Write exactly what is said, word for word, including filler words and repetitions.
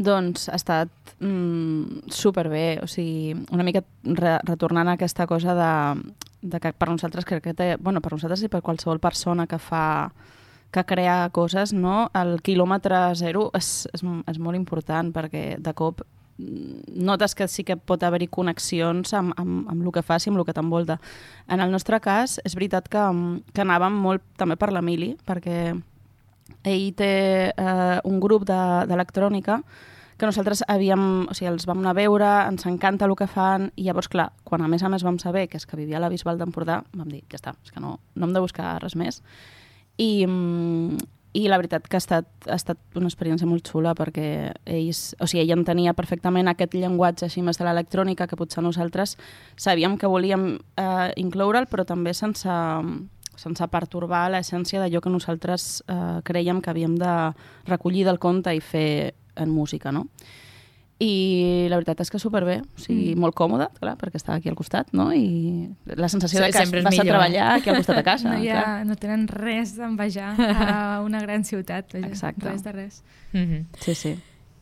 Doncs ha estat mm, superbé, o sigui, una mica re retornant a aquesta cosa de, de que per nosaltres crec que té, bueno, per nosaltres i per qualsevol persona que fa que crea coses, no? El quilòmetre zero és, és, és molt important perquè de cop notes que sí que pot haver-hi connexions amb, amb, amb el que fas i amb el que t'envolta. En el nostre cas, és veritat que, que anàvem molt també per l'Emili, perquè ell té eh, un grup d'electrònica que nosaltres havíem, o sigui, els vam anar a veure, ens encanta el que fan, i llavors, clar, quan a més a més vam saber que és que vivia a la Bisbal d'Empordà, vam dir, ja està, és que no, no hem de buscar res més. I, i la veritat que ha estat, ha estat una experiència molt xula perquè ells, o sigui, ell entenia perfectament aquest llenguatge així més de l'electrònica que potser nosaltres sabíem que volíem eh, incloure'l, però també sense, sense pertorbar l'essència d'allò que nosaltres eh, creiem que havíem de recollir del conte i fer en música, no? I la veritat és que superbé, o sigui, mm. molt còmode, clar, perquè estava aquí al costat, no? I la sensació sí, de que vas millor. a treballar aquí al costat de casa. No, ha, no tenen res d'envejar a una gran ciutat, vaja, res de res. Mm-hmm. Sí, sí.